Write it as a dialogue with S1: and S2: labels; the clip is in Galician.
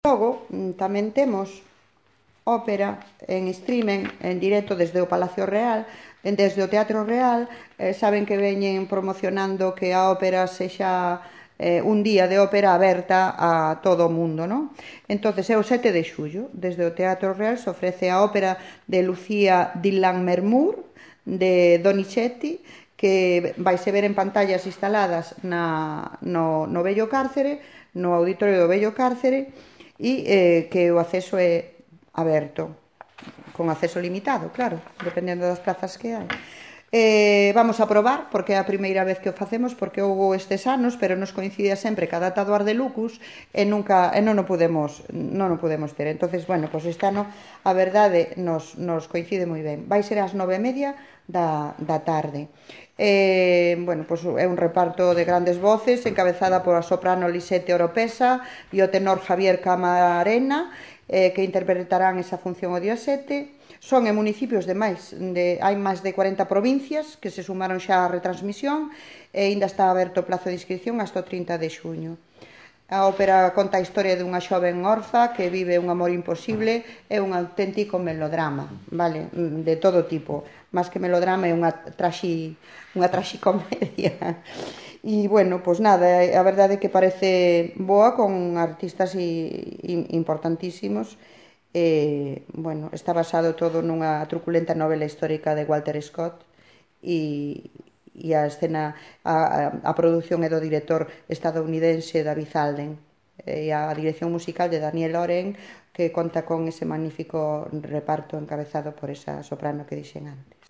S1: Logo, tamén temos ópera en streaming, en directo desde o Palacio Real, desde o Teatro Real. Saben que veñen promocionando que a ópera sexa un día de ópera aberta a todo o mundo, non? Entonces é o 7 de xullo, desde o Teatro Real se ofrece a ópera de Lucía di Lammermoor de Donizetti, que vaise ver en pantallas instaladas no Vello Cárcere, no auditorio do Vello Cárcere, e que o acceso é aberto, con acceso limitado, claro, dependendo das plazas que hai. Vamos a probar, porque é a primeira vez que o facemos, porque houve estes anos, pero nos coincide sempre que a data do Ars de Lucus e non o podemos ter. Entonces, bueno, pues este ano a verdade nos coincide moi ben. Vai ser ás 9:30 da tarde. Bueno, pues é un reparto de grandes voces encabezada por a soprano Lisette Oropesa e o tenor Javier Camarena, que interpretarán esa función o día 7. Son en municipios hai máis de 40 provincias que se sumaron xa á retransmisión e ainda está aberto o plazo de inscripción hasta o 30 de xuño. A ópera conta a historia dunha xoven orfa que vive un amor imposible, é un auténtico melodrama, vale? De todo tipo, máis que melodrama é unha traxicomedia. E, bueno, pois nada, a verdade é que parece boa, con artistas importantísimos. Bueno, está basado todo nunha truculenta novela histórica de Walter Scott e a escena, a produción é do director estadounidense David Alden e a dirección musical de Daniel Oren, que conta con ese magnífico reparto encabezado por esa soprano que dixen antes.